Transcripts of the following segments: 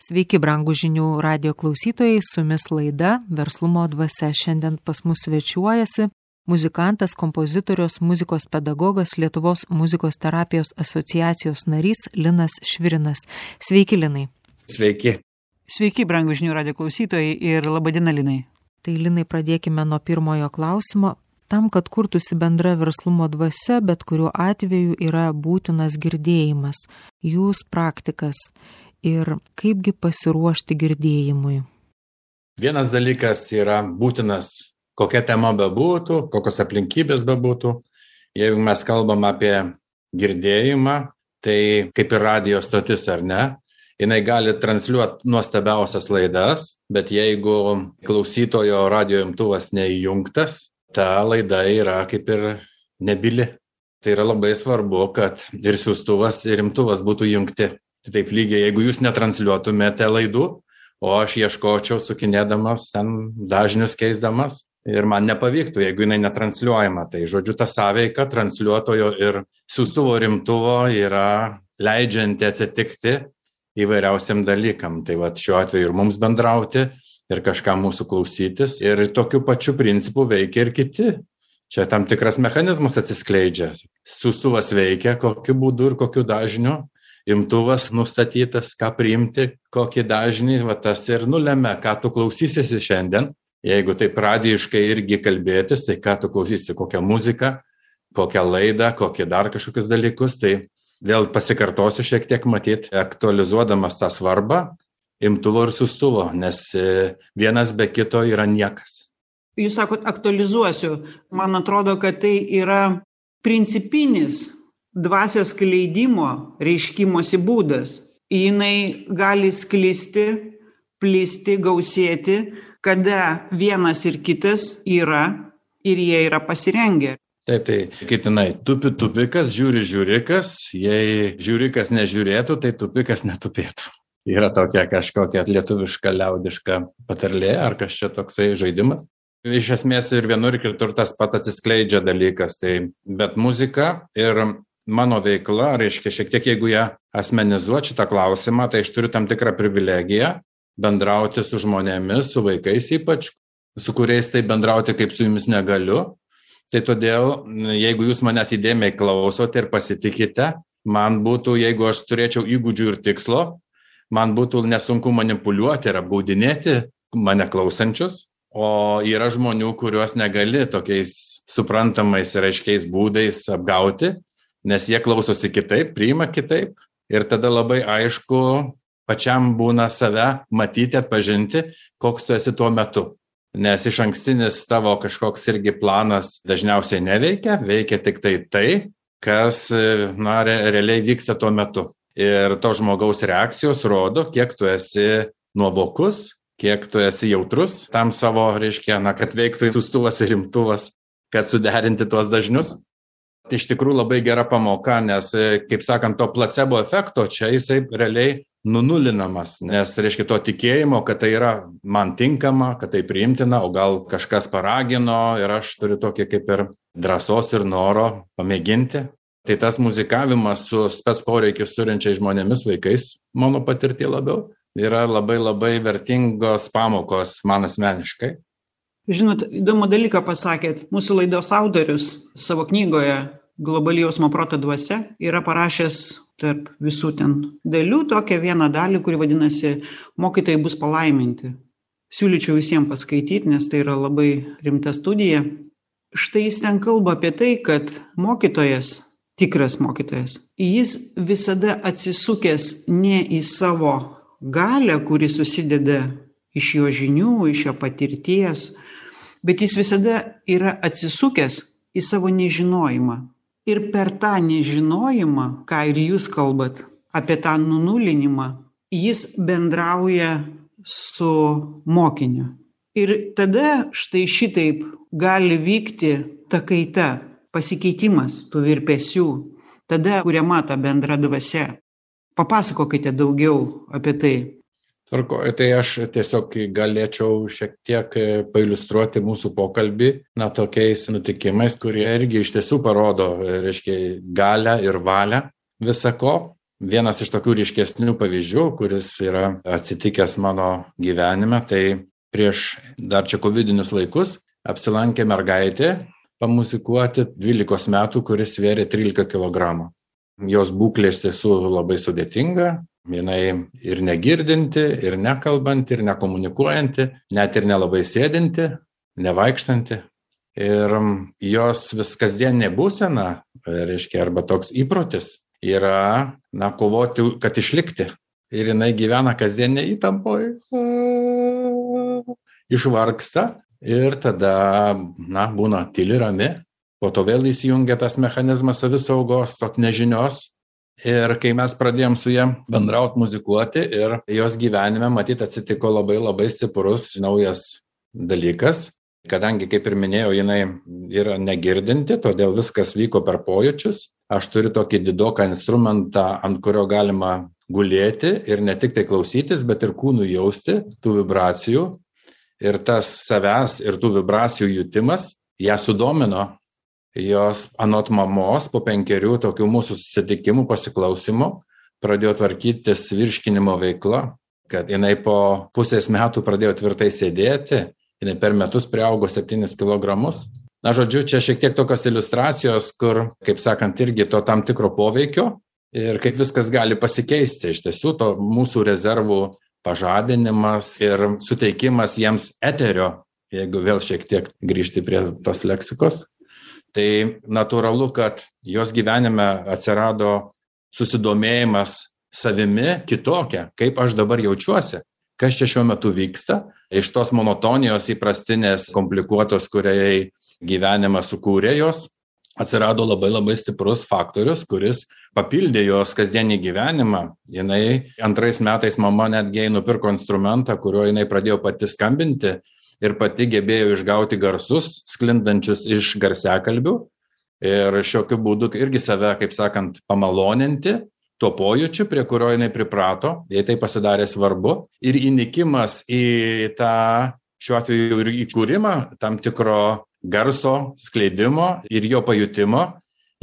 Sveiki, brangūs žinių radio klausytojai, su jumis laida Verslumo dvasia. Šiandien pas mus svečiuojasi muzikantas, kompozitorius, muzikos pedagogas, Lietuvos muzikos terapijos asociacijos narys Linas Švirinas. Sveiki, Linai. Sveiki. Sveiki, brangūs žinių radio klausytojai ir laba diena, Linai. Tai, Linai, pradėkime nuo pirmojo klausimo. Tam, kad kurtųsi bendra verslumo dvasia, bet kuriuo atveju yra būtinas girdėjimas. Jūs praktikas. Ir kaipgi pasiruošti girdėjimui? Vienas dalykas yra būtinas, kokia tema bebūtų, kokios aplinkybės bebūtų. Jeigu mes kalbam apie girdėjimą, tai kaip ir radijo stotis ar ne, jinai gali transliuoti nuostabiausias laidas, bet jeigu klausytojo radijo imtuvas neįjungtas, ta laida yra kaip ir nebyli. Tai yra labai svarbu, kad ir siųstuvas, ir imtuvas būtų jungti. Taip lygiai, jeigu jūs netransliuotumėte laidų, o aš ieškočiau sukinėdamas, ten dažnius keisdamas ir man nepavyktų, jeigu jinai netransliuojama. Tai žodžiu, ta sąveika transliuotojo ir siųstuvo rimtuvo yra leidžianti atsitikti įvairiausiam dalykam. Tai va šiuo atveju ir mums bendrauti, ir kažką mūsų klausytis. Ir tokiu pačiu principu veikia ir kiti. Čia tam tikras mechanizmas atsiskleidžia. Siųstuvas veikia, kokiu būdu ir kokiu dažniu. Imtuvas nustatytas, ką priimti, kokį dažnį, va tas ir nulemia, ką tu klausysiesi šiandien. Jeigu taip radijiškai irgi kalbėtis, tai ką tu klausysi, kokią muziką, kokią laidą, kokie dar kažkokius dalykus, tai vėl pasikartosiu šiek tiek matyti, aktualizuodamas tą svarbą imtuvo ir siųstuvo, nes vienas be kito yra niekas. Jūs sakot, aktualizuosiu. Man atrodo, kad tai yra principinis dvasios skleidimo reiškimosi būdas. Jinai gali sklisti, plisti, gausėti, kada vienas ir kitas yra ir jie yra pasirengę. Taip, tai kaip jinai, tupikas, žiūrikas, jei žiūrikas nežiūrėtų, tai tupikas netupėtų. Yra tokia kažkokia lietuviška, liaudiška patarlė, ar kas čia toksai žaidimas. Iš esmės ir vienur ir kitur tas pat atsiskleidžia dalykas, tai bet muzika ir mano veikla, reiškia, šiek tiek jeigu ją asmenizuoti šitą klausimą, tai aš turiu tam tikrą privilegiją bendrauti su žmonėmis, su vaikais ypač, su kuriais tai bendrauti kaip su jumis negaliu. Tai todėl, jeigu jūs manęs įdėmiai klausote ir pasitikite, man būtų, jeigu aš turėčiau įgūdžių ir tikslo, man būtų nesunku manipuliuoti ir apgaudinėti mane klausančius, o yra žmonių, kuriuos negali tokiais suprantamais ir aiškiais būdais apgauti, nes jie klausosi kitaip, priima kitaip ir tada labai aišku pačiam būna save matyti, atpažinti, koks tu esi tuo metu. Nes iš ankstinis tavo kažkoks irgi planas dažniausiai neveikia, veikia tik tai, kas realiai vyksta tuo metu. Ir to žmogaus reakcijos rodo, kiek tu esi nuovokus, kiek tu esi jautrus tam savo, reiškia, kad veiktų siųstuvas ir imtuvas, kad suderinti tuos dažnius. Tai iš tikrųjų labai gera pamoka, nes, kaip sakant, to placebo efekto čia jisai realiai nunulinamas, nes reiškia to tikėjimo, kad tai yra man tinkama, kad tai priimtina, o gal kažkas paragino ir aš turiu tokį kaip ir drąsos ir noro pamėginti. Tai tas muzikavimas su spec poreikius turinčiais žmonėmis, vaikais, mano patirtį labiau, yra labai labai vertingos pamokos man asmeniškai. Žinot, įdomų dalyką pasakėt. Mūsų laidos autorius savo knygoje Globali jausmo proto dvasia yra parašęs tarp visų ten dalių tokią vieną dalį, kuri vadinasi Mokytojai bus palaiminti. Siūlyčiau visiems paskaityti, nes tai yra labai rimta studija. Štai jis ten kalba apie tai, kad mokytojas, tikras mokytojas, jis visada atsisukęs ne į savo galią, kuri susideda iš jo žinių, iš jo patirties, bet jis visada yra atsisukęs į savo nežinojimą. Ir per tą nežinojimą, ką ir jūs kalbat, apie tą nunulinimą, jis bendrauja su mokiniu. Ir tada štai šitaip gali vykti ta kaita, pasikeitimas tų virpesių, tada kuriama ta bendra dvasia. Papasakokite daugiau apie tai. Tvarkoju, tai aš tiesiog galėčiau šiek tiek pailiustruoti mūsų pokalbį, tokiais nutikimais, kurie irgi iš tiesų parodo, reiškia, galią ir valią visako. Vienas iš tokių ryškesnių pavyzdžių, kuris yra atsitikęs mano gyvenime, tai prieš dar čia covidinius laikus apsilankė mergaitė pamuzikuoti 12 metų, kuris svėrė 13 kg. Jos būklė iš tiesų labai sudėtinga, jinai ir negirdinti, ir nekalbanti, ir nekomunikuojanti, net ir nelabai sėdinti, nevaikštanti. Ir jos vis kasdieninė būsena, reiškia, arba toks įprotis yra, kovoti, kad išlikti. Ir jinai gyvena kasdienė įtampoje, išvargsta ir tada, būna tyli rami. Po to vėl įsijungia tas mechanizmas savisaugos, toks nežinios. Ir kai mes pradėjom su ja bendrauti, muzikuoti, ir jos gyvenime, matyt, atsitiko labai labai stiprus naujas dalykas. Kadangi, kaip ir minėjau, jinai yra negirdinti, todėl viskas vyko per pojūčius. Aš turiu tokį didoką instrumentą, ant kurio galima gulėti ir ne tik tai klausytis, bet ir kūnų jausti tų vibracijų. Ir tas savęs ir tų vibracijų jutimas ją sudomino. Jos anot mamos po 5 tokių mūsų susitikimų, pasiklausimų pradėjo tvarkytis virškinimo veikla, kad jinai po pusės metų pradėjo tvirtai sėdėti, jinai per metus priaugo 7 kg. Žodžiu, čia šiek tiek tokios iliustracijos, kur, kaip sakant, irgi to tam tikro poveikio ir kaip viskas gali pasikeisti. Iš tiesų, to mūsų rezervų pažadinimas ir suteikimas jiems eterio, jeigu vėl šiek tiek grįžti prie tos leksikos. Tai natūralu, kad jos gyvenime atsirado susidomėjimas savimi kitokia, kaip aš dabar jaučiuosi, kas čia šiuo metu vyksta. Iš tos monotonijos įprastinės, komplikuotos, kuriai gyvenimą sukūrė jos, atsirado labai labai stiprus faktorius, kuris papildė jos kasdienį gyvenimą. Jinai 2 metais mama netgi nupirko instrumentą, kuriuo jinai pradėjo pati skambinti. Ir pati gebėjo išgauti garsus, sklindančius iš garsiakalbių ir šiokiu būdu irgi save, kaip sakant, pamaloninti tuo pojūčiu, prie kurio jinai priprato, jai tai pasidarė svarbu. Ir įnikimas į tą, šiuo atveju ir įkūrimą tam tikro garso skleidimo ir jo pajutimo,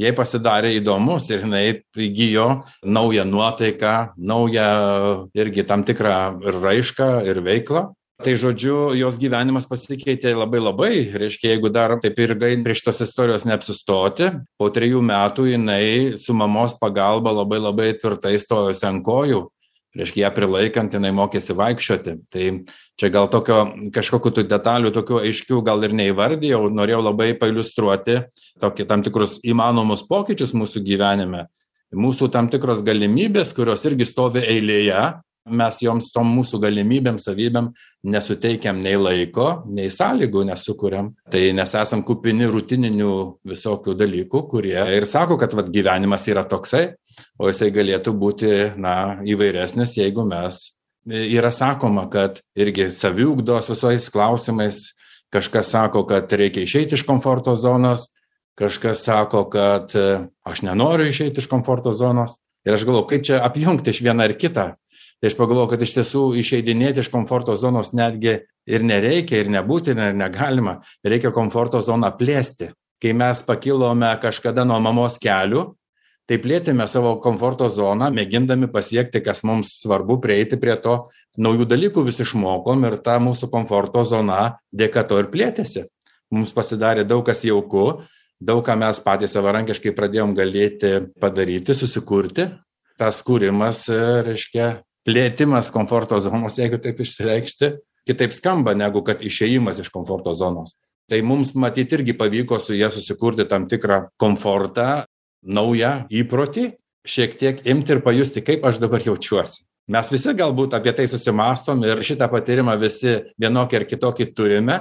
jai pasidarė įdomus ir jinai įgijo naują nuotaiką, naują irgi tam tikrą raišką ir veiklą. Tai žodžiu, jos gyvenimas pasikeitė labai labai, reiškia, jeigu dar taip ir prie šitos istorijos neapsistoti, po 3 metų jinai su mamos pagalba labai labai tvirtai stojosi ant kojų, reiškia, ją prilaikant jinai mokėsi vaikščioti. Tai čia gal tokio kažkokių tų detalių, tokių aiškių gal ir neįvardėjau, norėjau labai pailiustruoti tokį tam tikrus įmanomus pokyčius mūsų gyvenime, mūsų tam tikros galimybės, kurios irgi stovi eilėje. Mes joms tom mūsų galimybėm, savybėm nesuteikiam nei laiko, nei sąlygų nesukuriam. Tai nes esam kupini rutininių visokių dalykų, kurie ir sako, kad gyvenimas yra toksai, o jisai galėtų būti įvairesnis, jeigu mes yra sakoma, kad irgi saviugdos visais klausimais, kažkas sako, kad reikia išeiti iš komforto zonos, kažkas sako, kad aš nenoriu išeiti iš komforto zonos. Ir aš galvoju, kaip čia apjungti iš vieną ir kitą. Tai aš pagalvoju, kad iš tiesų išeidinėti iš komforto zonos netgi ir nereikia, ir nebūtina, ir negalima. Reikia komforto zoną plėsti. Kai mes pakilome kažkada nuo mamos kelių, tai plėtėme savo komforto zoną, mėgindami pasiekti, kas mums svarbu, prieiti prie to. Naujų dalykų vis išmokom ir ta mūsų komforto zona dėka to ir plėtėsi. Mums pasidarė daug kas jauku, daug ką mes patys savarankiškai pradėjom galėti padaryti, susikurti. Tas kūrimas, reiškia, plėtimas komforto zonos, jeigu taip išsireikšti, kitaip skamba negu kad išėjimas iš komforto zonos. Tai mums matyti irgi pavyko su jie susikurti tam tikrą komfortą, naują įprotį, šiek tiek imti ir pajusti, kaip aš dabar jaučiuosi. Mes visi galbūt apie tai susimastom ir šitą patyrimą visi vienokį ar kitokį turime,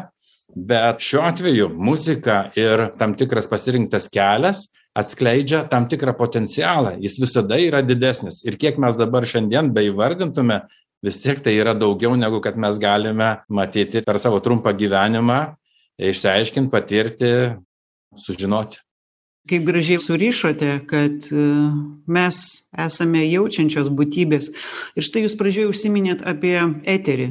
bet šiuo atveju muzika ir tam tikras pasirinktas kelias atskleidžia tam tikrą potencialą, jis visada yra didesnis. Ir kiek mes dabar šiandien beįvardintume, vis tiek tai yra daugiau negu kad mes galime matyti per savo trumpą gyvenimą, išsiaiškinti, patirti, sužinoti. Kaip gražiai surišote, kad mes esame jaučiančios būtybės. Ir štai jūs pradžioje užsiminėt apie eterį.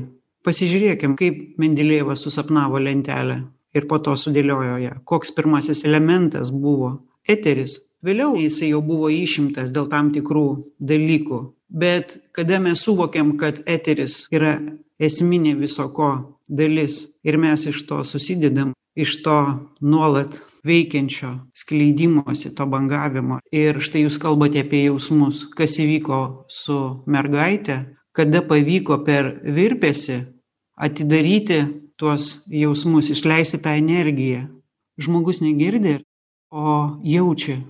Pasižiūrėkim, kaip Mendelejevas susapnavo lentelę ir po to sudėliojo ją. Koks pirmasis elementas buvo? Eteris. Vėliau jisai jau buvo išimtas dėl tam tikrų dalykų. Bet kada mes suvokiam, kad eteris yra esminė viso ko dalis ir mes iš to susidedam, iš to nuolat veikiančio skleidimosi, to bangavimo. Ir štai jūs kalbate apie jausmus, kas įvyko su mergaitė, kada pavyko per virpesį atidaryti tuos jausmus, išleisti tą energiją. Žmogus negirdi, o jaučia.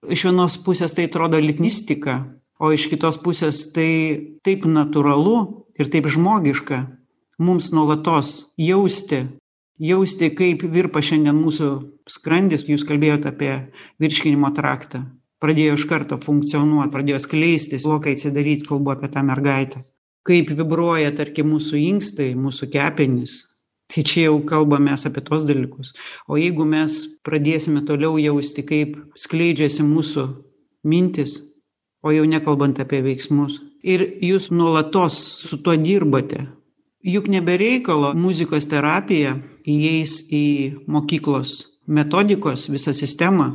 Iš vienos pusės tai atrodo lyg mistika, o iš kitos pusės tai taip natūralu ir taip žmogiška mums nuolatos jausti, kaip virpa šiandien mūsų skrandis. Jūs kalbėjote apie virškinimo traktą. Pradėjo iš karto funkcionuoti, pradėjo skleistis, lokai atsidaryti, kalbu apie tą mergaitę. Kaip vibruoja, tarkim, mūsų inkstai, mūsų kepenys. Tai čia jau kalbame apie tos dalykus. O jeigu mes pradėsime toliau jausti, kaip skleidžiasi mūsų mintis, o jau nekalbant apie veiksmus, ir jūs nuolatos su tuo dirbate, juk nebereikalo muzikos terapija įeis į mokyklos metodikos visą sistemą.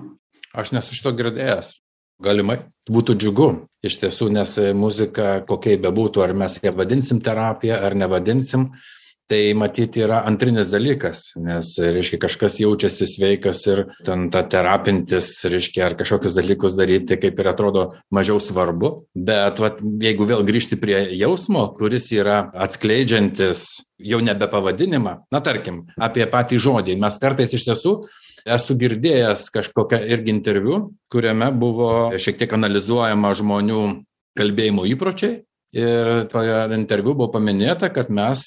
Aš nesu šito girdėjęs. Galimai. Būtų džiugu. Iš tiesų, nes muzika, kokia bebūtų, ar mes ją vadinsim terapija, ar nevadinsim, tai matyti yra antrinis dalykas, nes, reiškia, kažkas jaučiasi sveikas ir ten ta terapintis, reiškia, ar kažkokius dalykus daryti, kaip ir atrodo mažiau svarbu. Bet jeigu vėl grįžti prie jausmo, kuris yra atskleidžiantis jau nebe pavadinimą, tarkim, apie patį žodį. Mes kartais iš tiesų esu girdėjęs kažkokią irgi interviu, kuriame buvo šiek tiek analizuojama žmonių kalbėjimo įpročiai. Ir toje interviu buvo paminėta, kad mes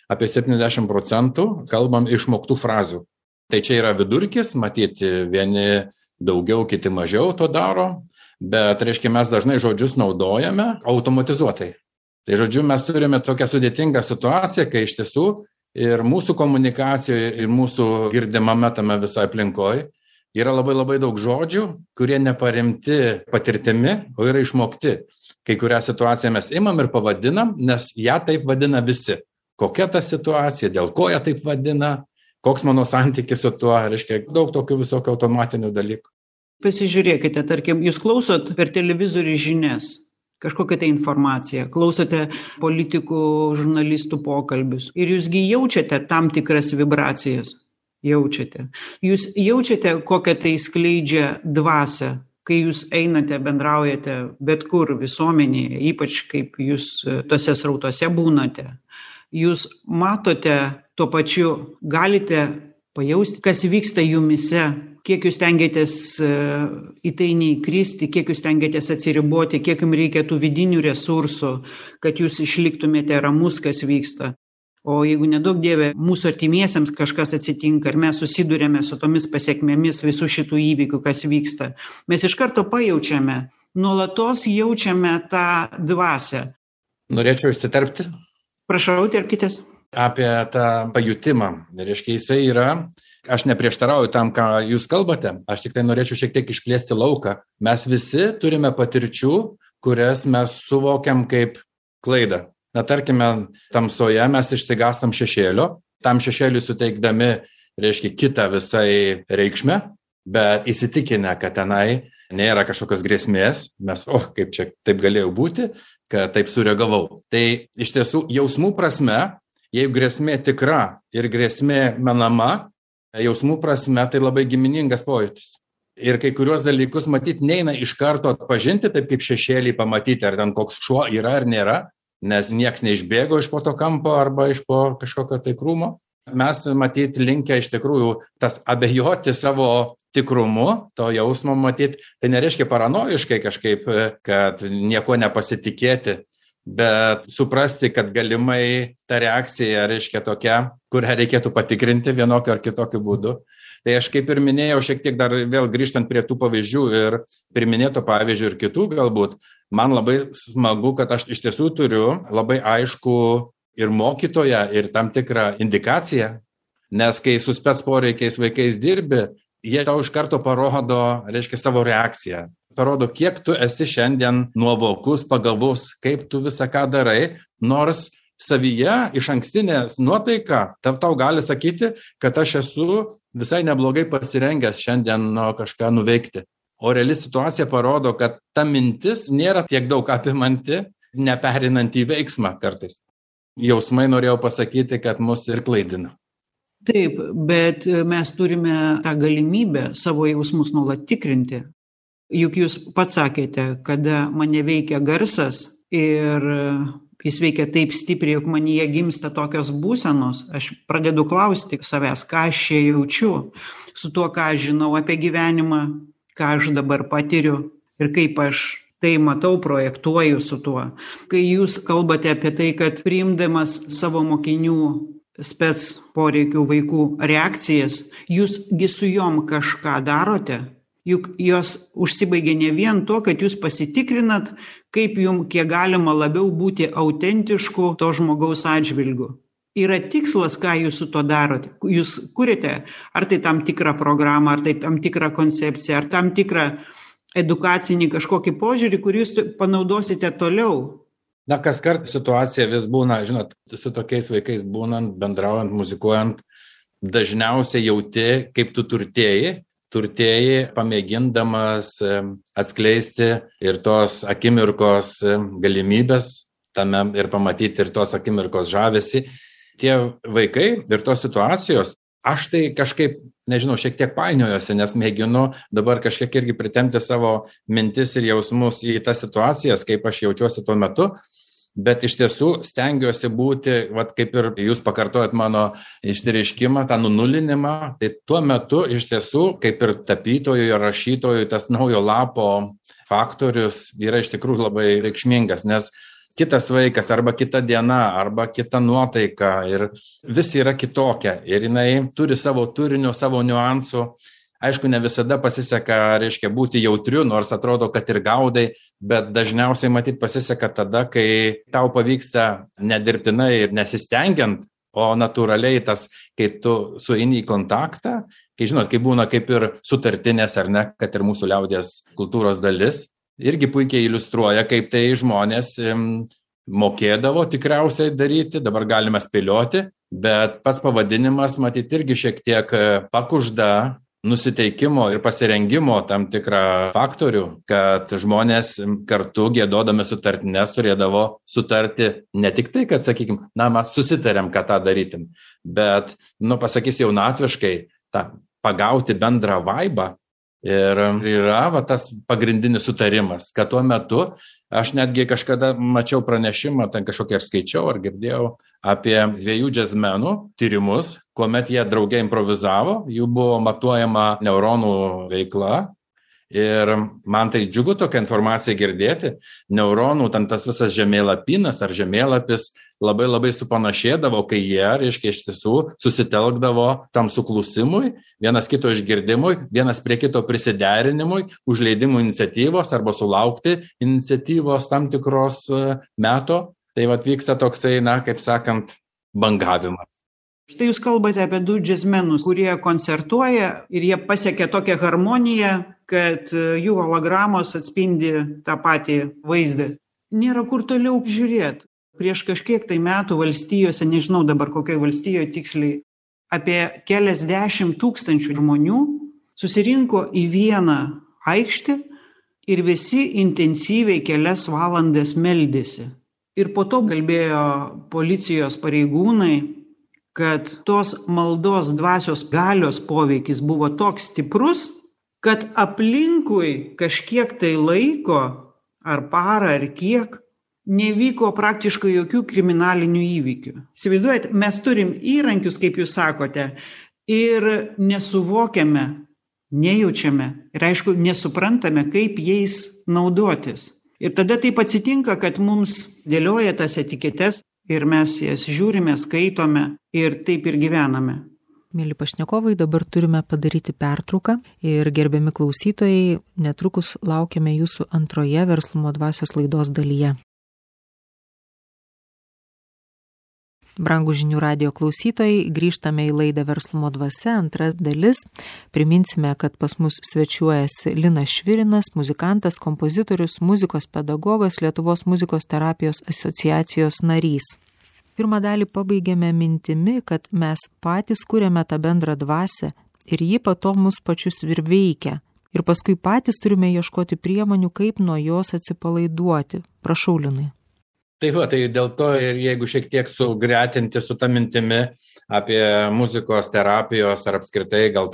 apie 70% kalbam išmoktų frazių. Tai čia yra vidurkis, matyti, vieni daugiau, kiti mažiau to daro, bet, reiškia, mes dažnai žodžius naudojame automatizuotai. Tai, žodžiu, mes turime tokią sudėtingą situaciją, kai iš tiesų ir mūsų komunikacijoje, ir mūsų girdimame tame visai aplinkoje yra labai daug žodžių, kurie neparemti patirtimi, o yra išmokti. Kai kurią situaciją mes imam ir pavadinam, nes ją taip vadina visi. Kokia ta situacija, dėl ko ją taip vadina, koks mano santykis su tuo, reiškia, daug tokių visokių automatinių dalykų. Pasižiūrėkite, tarkim, jūs klausot per televizorių žinias, kažkokią tai informaciją, klausote politikų, žurnalistų pokalbius ir jūsgi jaučiate tam tikras vibracijas. Jūs jaučiate, kokią tai skleidžia dvasią. Kai jūs einate, bendraujate bet kur visuomenėje, ypač kaip jūs tose srautose būnate, jūs matote tuo pačiu, galite pajausti, kas vyksta jumise, kiek jūs stengiatės į tai neįkristi, kiek jūs stengiatės atsiriboti, kiek jums reikia tų vidinių resursų, kad jūs išliktumėte ramus, kas vyksta. O jeigu nedaug dieve, mūsų artimiesiems kažkas atsitinka ir mes susidurėme su tomis pasiekmėmis visų šitų įvykių, kas vyksta, mes iš karto pajaučiame, nuolatos jaučiame tą dvasią. Norėčiau įsiterpti. Prašau, terpkitės. Apie tą pajutimą. Reiškia, jisai yra, aš neprieštarauju tam, ką jūs kalbate, aš tik tai norėčiau šiek tiek išplėsti lauką. Mes visi turime patirčių, kurias mes suvokiam kaip klaidą. Tarkime, tamsoje mes išsigastam šešėlio, tam šešėliui suteikdami, reiškia, kitą visai reikšmę, bet įsitikinę, kad tenai nėra kažkokios grėsmės, mes, kaip čia taip galėjo būti, kad taip sureagavau. Tai iš tiesų jausmų prasme, jeigu grėsmė tikra ir grėsmė menama, jausmų prasme tai labai giminingas pojūtis. Ir kai kuriuos dalykus matyti neina iš karto atpažinti, taip kaip šešėlį pamatyti, ar ten koks šuo yra ar nėra, nes nieks neišbėgo iš po to kampo arba iš po kažkokio tai krūmo. Mes matyti linkę iš tikrųjų tas abejoti savo tikrumu, to jausmo matyti, tai nereiškia paranojiškai kažkaip, kad nieko nepasitikėti, bet suprasti, kad galimai ta reakcija reiškia tokia, kurią reikėtų patikrinti vienokiu ar kitokiu būdu. Tai aš kaip ir minėjau, šiek tiek dar vėl grįžtant prie tų pavyzdžių ir priminėto pavyzdžių ir kitų galbūt, man labai smagu, kad aš iš tiesų turiu labai aišku ir mokytoją, ir tam tikrą indikaciją, nes kai su spec poreikiais vaikais dirbi, jie tau iš karto parodo, reiškia, savo reakciją. Parodo, kiek tu esi šiandien nuovokus, pagalvos, kaip tu visą ką darai, nors savyje iš ankstinė nuotaika tau gali sakyti, kad aš esu visai neblogai pasirengęs šiandien kažką nuveikti. O reali situacija parodo, kad ta mintis nėra tiek daug apimanti, neperinant į veiksmą kartais. Jausmai norėjau pasakyti, kad mus ir klaidina. Taip, bet mes turime tą galimybę savo jausmus nuolat tikrinti. Juk jūs pats sakėte, kada mane veikia garsas ir jis veikia taip stipriai, jog manyje gimsta tokios būsenos, aš pradedu klausti savęs, ką aš čia jaučiu, su tuo, ką aš žinau apie gyvenimą, ką aš dabar patiriu ir kaip aš tai matau, projektuoju su tuo. Kai jūs kalbate apie tai, kad priimdamas savo mokinių spec poreikių vaikų reakcijas, jūsgi su jom kažką darote, juk jos užsibaigia ne vien to, kad jūs pasitikrinat, kaip jums kiek galima labiau būti autentišku to žmogaus atžvilgiu. Yra tikslas, ką jūs su to darote. Jūs kuriate, ar tai tam tikrą programą, ar tai tam tikrą koncepciją, ar tam tikrą edukacinį kažkokį požiūrį, kurį jūs panaudosite toliau. Na, kas kart situacija vis būna, žinot, su tokiais vaikais būnant, bendraujant, muzikuojant, dažniausiai jauti, kaip tu turtėji, pamėgindamas atskleisti ir tos akimirkos galimybės tame ir pamatyti ir tos akimirkos žavesį. Tie vaikai ir tos situacijos, aš tai kažkaip, nežinau, šiek tiek painiojuosi, nes mėginu dabar kažkiek irgi pritempti savo mintis ir jausmus į tas situacijas, kaip aš jaučiuosi tuo metu, bet iš tiesų stengiuosi būti, vat kaip ir jūs pakartojat mano išsireiškimą, tą nunulinimą, tai tuo metu iš tiesų, kaip ir tapytojui ir rašytojui, tas naujo lapo faktorius yra iš tikrųjų labai reikšmingas, nes kitas vaikas arba kita diena arba kita nuotaika ir vis yra kitokia ir jinai turi savo turinio, savo niuansų. Aišku, ne visada pasiseka, reiškia, būti jautriu, nors atrodo, kad ir gaudai, bet dažniausiai matyt pasiseka tada, kai tau pavyksta nedirbtinai ir nesistengiant, o natūraliai tas, kai tu sueini į kontaktą, kai žinot, kai būna kaip ir sutartinės ar ne, kad ir mūsų liaudies kultūros dalis, irgi puikiai iliustruoja, kaip tai žmonės mokėdavo tikriausiai daryti, dabar galime spėlioti, bet pats pavadinimas matyt irgi šiek tiek pakužda nusiteikimo ir pasirengimo tam tikrą faktorių, kad žmonės kartu giedodami sutartines turėdavo sutarti ne tik tai, kad, sakykim, na, mes susitarėm, kad tą darytum, bet, pasakys jaunatviškai, tą pagauti bendrą vaibą. Ir yra tas pagrindinis sutarimas, kad tuo metu aš netgi kažkada mačiau pranešimą, ten kažkokią skaičiau ar girdėjau apie 2 džiazmenų tyrimus, kuomet jie drauge improvizavo, jų buvo matuojama neuronų veikla. Ir man tai džiugu tokią informaciją girdėti, neuronų, ten tas visas žemėlapinas ar žemėlapis labai labai supanašėdavo, kai jie, reiškia, iš tiesų susitelkdavo tam suklusimui, vienas kito išgirdimui, vienas prie kito prisiderinimui, užleidimų iniciatyvos arba sulaukti iniciatyvos tam tikros meto. Tai vyksta toksai, kaip sakant, bangavimas. Štai jūs kalbate apie 2 džiazmenus, kurie koncertuoja ir jie pasiekia tokią harmoniją, kad jų hologramos atspindi tą patį vaizdą. Nėra kur toliau žiūrėti. Prieš kažkiek tai metų valstijose, nežinau dabar kokioje valstijoje tiksliai, apie keliasdešimt tūkstančių žmonių susirinko į vieną aikštę ir visi intensyviai kelias valandas meldėsi. Ir po to kalbėjo policijos pareigūnai, kad tos maldos dvasios galios poveikis buvo toks stiprus, kad aplinkui kažkiek tai laiko, ar parą, ar kiek, nevyko praktiškai jokių kriminalinių įvykių. Įsivaizduojat, mes turim įrankius, kaip jūs sakote, ir nesuvokiame, nejaučiame ir aišku, nesuprantame, kaip jais naudotis. Ir tada taip atsitinka, kad mums dėlioja tas etiketes ir mes jas žiūrime, skaitome ir taip ir gyvename. Mėly pašnekovai, dabar turime padaryti pertrauką ir gerbiami klausytojai, netrukus laukiame jūsų antroje Verslumo dvasios laidos dalyje. Brangūs žinių radijo klausytojai, grįžtame į laidą Verslumo dvasia, antra dalis. Priminsime, kad pas mus svečiuojasi Linas Švirinas, muzikantas, kompozitorius, muzikos pedagogas, Lietuvos muzikos terapijos asociacijos narys. Pirmą dalį pabaigėme mintimi, kad mes patys kuriame tą bendrą dvasią ir ji po to mus pačius ir veikia. ir paskui patys turime ieškoti priemonių, kaip nuo jos atsipalaiduoti. Prašau, Linai. Tai dėl to ir jeigu šiek tiek sugretinti su ta mintimi apie muzikos terapijos ar apskritai, gal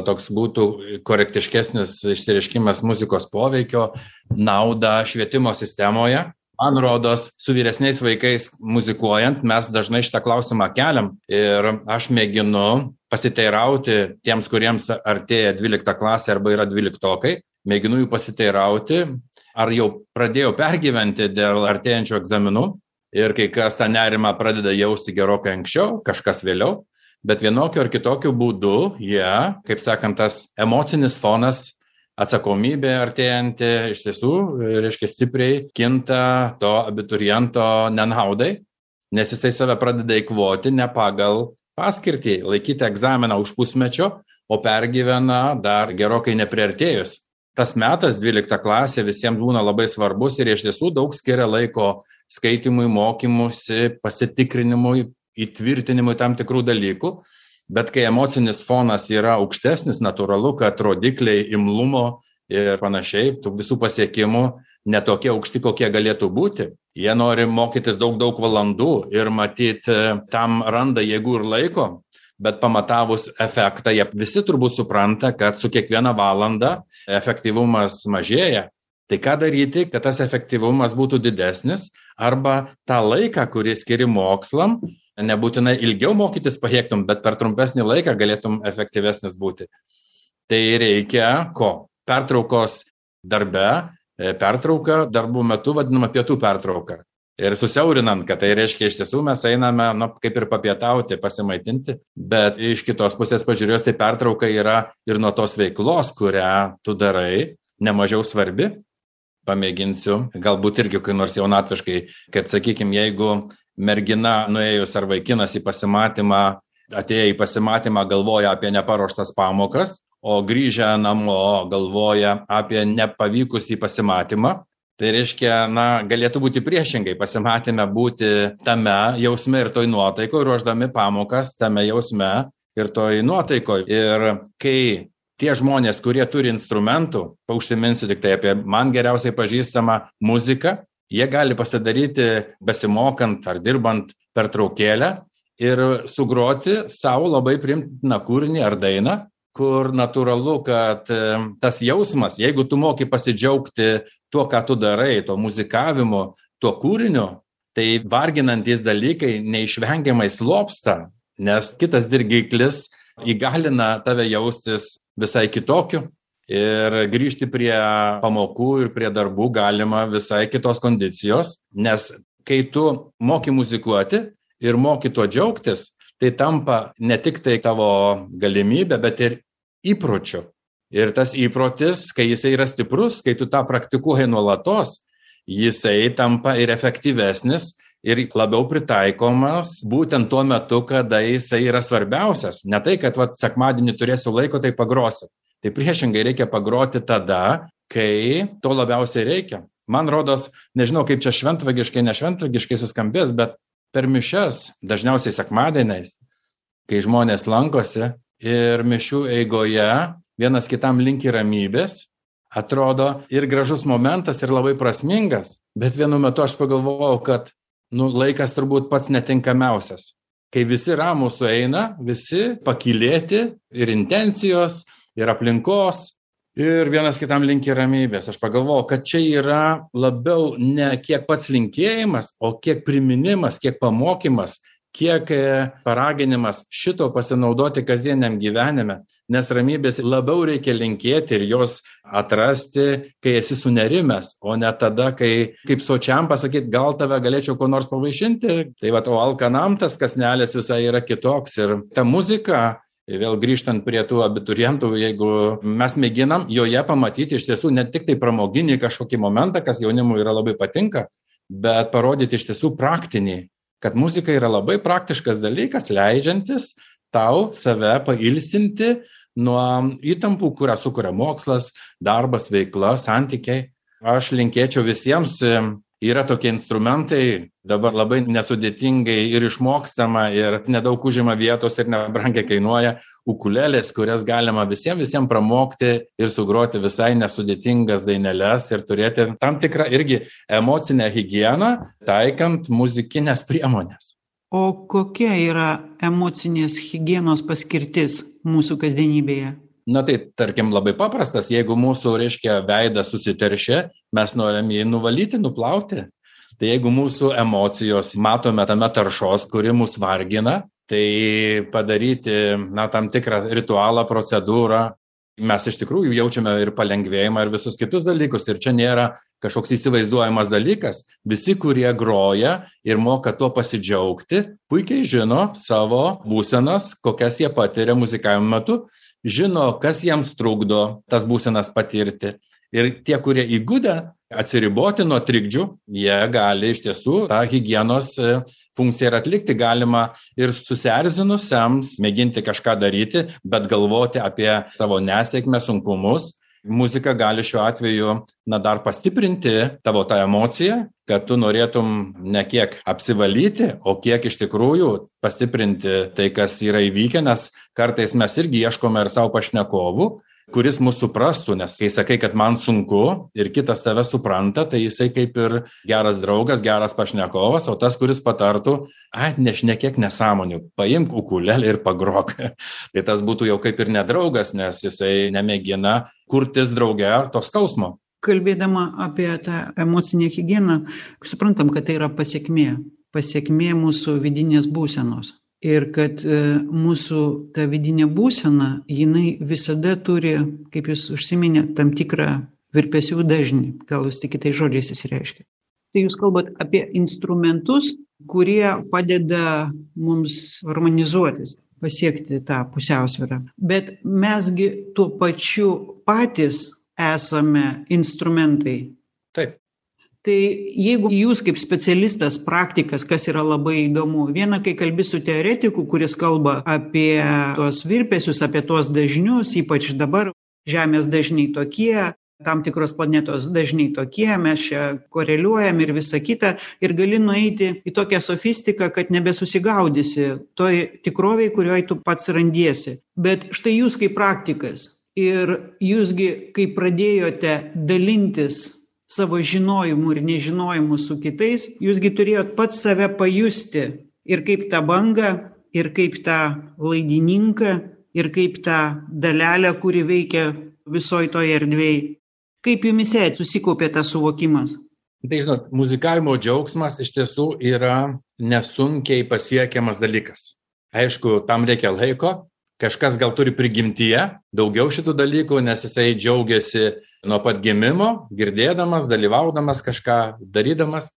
toks būtų korektiškesnis išsireiškimas muzikos poveikio naudą švietimo sistemoje. Man rodos, su vyresniais vaikais muzikuojant, mes dažnai šitą klausimą keliam ir aš mėginu pasiteirauti tiems, kuriems artėja 12 klasė arba yra 12-okai, mėginu jų pasiteirauti, ar jau pradėjau pergyventi dėl artėjančių egzaminų ir kai kas tą nerimą pradeda jausti gerokai anksčiau, kažkas vėliau, bet vienokiu ar kitokiu būdu jie, kaip sakant, tas emocinis fonas, atsakomybė artėjanti iš tiesų, reiškia, stipriai kinta to abituriento nenaudai, nes jisai save pradeda eikvoti ne pagal paskirtį, laikyti egzaminą už pusmečio, o pergyvena dar gerokai nepriartėjus. Tas metas 12 klasė visiems būna labai svarbus ir iš tiesų daug skiria laiko skaitimui, mokymusi, pasitikrinimui, įtvirtinimui tam tikrų dalykų. Bet kai emocinis fonas yra aukštesnis, natūralu, kad rodikliai imlumo ir panašiai, tų visų pasiekimų netokie aukšti, kokie galėtų būti. Jie nori mokytis daug valandų ir matyti tam randa jėgų ir laiko, bet pamatavus efektą, jie visi turbūt supranta, kad su kiekviena valanda efektyvumas mažėja. Tai ką daryti, kad tas efektyvumas būtų didesnis, arba tą laiką, kurį skiri mokslam, nebūtinai ilgiau mokytis pajėgtum, bet per trumpesnį laiką galėtum efektyvesnis būti. Tai reikia ko? Pertraukos darbe, pertrauka darbų metu vadinama pietų pertrauka. Ir susiaurinant, kad tai reiškia iš tiesų mes einame, kaip ir papietauti, pasimaitinti, bet iš kitos pusės pažiūrėjus, tai pertrauka yra ir nuo tos veiklos, kurią tu darai, nemažiau svarbi. Pamėginsiu, galbūt irgi kai nors jaunatviškai, kad sakykime, jeigu mergina nuėjus ar vaikinas į pasimatymą, atėję į pasimatymą galvoja apie neparuoštas pamokas, o grįžę namo galvoja apie nepavykusį pasimatymą, tai reiškia, galėtų būti priešingai, pasimatyme būti tame jausme ir toj nuotaikoje, ruošdami pamokas tame jausme ir toj nuotaikoje. Ir kai tie žmonės, kurie turi instrumentų, užsiminsiu tik tai apie man geriausiai pažįstamą muziką, jie gali pasidaryti besimokant ar dirbant pertraukėlę ir sugroti savo labai priimtiną kūrinį ar dainą, kur natūralu, kad tas jausmas, jeigu tu moki pasidžiaugti tuo, ką tu darai, to muzikavimu, tuo kūriniu, tai varginantys dalykai neišvengiamai slopsta, nes kitas dirgiklis įgalina tave jaustis visai kitokiu ir grįžti prie pamokų ir prie darbų galima visai kitos kondicijos, nes kai tu moki muzikuoti ir moki tuo džiaugtis, tai tampa ne tik tai tavo galimybė, bet ir įpročiu. Ir tas įprotis, kai jisai yra stiprus, kai tu tą praktikuoji nuolatos, jisai tampa ir efektyvesnis ir labiau pritaikomas būtent tuo metu, kada jisai yra svarbiausias. Ne tai, kad sekmadienį turėsiu laiko, tai pagrosiu. Tai priešingai reikia pagroti tada, kai to labiausiai reikia. Man rodos, nežinau, kaip čia šventvagiškai, nešventvagiškai suskambės, bet per mišias, dažniausiai sekmadieniais, kai žmonės lankosi ir mišių eigoje vienas kitam linki ramybės, atrodo ir gražus momentas ir labai prasmingas, bet vienu metu aš pagalvojau, kad laikas turbūt pats netinkamiausias. Kai visi ramūs sueina, visi pakylėti ir intencijos, ir aplinkos, ir vienas kitam linki ramybės. Aš pagalvojau, kad čia yra labiau ne kiek pats linkėjimas, o kiek priminimas, kiek pamokymas, kiek paraginimas šito pasinaudoti kasdieniam gyvenime, nes ramybės labiau reikia linkėti ir jos atrasti, kai esi sunerimęs, o ne tada, kai kaip sočiam pasakyti, gal tave galėčiau ko nors pavaišinti. Tai o alkanam tas kąsnelis visai yra kitoks ir ta muzika, vėl grįžtant prie tų abiturientų, jeigu mes mėginam joje pamatyti iš tiesų ne tik tai pramoginį kažkokį momentą, kas jaunimui yra labai patinka, bet parodyti iš tiesų praktinį, kad muzika yra labai praktiškas dalykas, leidžiantis tau save pailsinti nuo įtampų, kurią sukuria mokslas, darbas, veikla, santykiai. Aš linkėčiau visiems yra tokie instrumentai, dabar labai nesudėtingai ir išmokstama, ir nedaug užima vietos ir nebrangiai kainuoja, ukulelės, kurias galima visiems pramokti ir sugroti visai nesudėtingas daineles ir turėti tam tikrą irgi emocinę higieną, taikant muzikinės priemonės. O kokia yra emocinės higienos paskirtis mūsų kasdienybėje? Na tai, tarkim, labai paprastas, jeigu mūsų, veidas susiteršia, mes norim jį nuvalyti, nuplauti. Tai jeigu mūsų emocijos matome tame taršos, kuri mus vargina, tai padaryti, tam tikrą ritualą, procedūrą, mes iš tikrųjų jaučiame ir palengvėjimą ir visus kitus dalykus. Ir čia nėra kažkoks įsivaizduojamas dalykas. Visi, kurie groja ir moka tuo pasidžiaugti, puikiai žino savo būsenas, kokias jie patiria muzikavimo metu, žino, kas jiems trukdo tas būsenas patirti. Ir tie, kurie įgudę atsiriboti nuo trikdžių, jie gali iš tiesų tą higienos funkciją ir atlikti. Galima ir susierzinusiems mėginti kažką daryti, bet galvoti apie savo nesėkmę, sunkumus. Muzika gali šiuo atveju dar pastiprinti tavo tą emociją, kad tu norėtum ne kiek apsivalyti, o kiek iš tikrųjų pastiprinti tai, kas yra įvykę, nes kartais mes irgi ieškome ir savo pašnekovų, kuris mūsų suprastų, nes kai sakai, kad man sunku ir kitas tave supranta, tai jisai kaip ir geras draugas, geras pašnekovas, o tas, kuris patartų, nešnekėk nesąmonių, paimk ukulelę ir pagrok. Tai tas būtų jau kaip ir nedraugas, nes jisai nemėgina kurtis drauge to skausmo. Kalbėdama apie tą emocinę higieną, suprantam, kad tai yra pasekmė mūsų vidinės būsenos. Ir kad mūsų ta vidinė būsena, jinai visada turi, kaip jūs užsiminėte, tam tikrą virpesių dažnį. Gal jūs tik kitais žodžiais įsireiškia. Tai jūs kalbat apie instrumentus, kurie padeda mums harmonizuotis, pasiekti tą pusiausvyrą. Bet mesgi tuo pačiu patys esame instrumentai. Taip. Tai jeigu jūs kaip specialistas, praktikas, kas yra labai įdomu, viena, kai kalbi su teoretiku, kuris kalba apie tuos virpesius, apie tuos dažnius, ypač dabar Žemės dažniai tokie, tam tikros planetos dažniai tokie, mes čia koreliuojam ir visa kita, ir gali nueiti į tokią sofistiką, kad nebesusigaudysi toj tikroviai, kurioje tu pats randiesi. Bet štai jūs kaip praktikas ir jūsgi, kai pradėjote dalintis savo žinojimu ir nežinojimu su kitais, jūsgi turėjot pats save pajusti ir kaip tą bangą, ir kaip tą laidininką, ir kaip tą dalelę, kuri veikia visoj toje erdvėje. Kaip jumise susikaupė tas suvokimas? Tai žinot, muzikavimo džiaugsmas iš tiesų yra nesunkiai pasiekiamas dalykas. Aišku, tam reikia laiko. Kažkas gal turi prigimtyje daugiau šitų dalykų, nes jisai džiaugiasi nuo pat gimimo, girdėdamas, dalyvaudamas, kažką darydamas.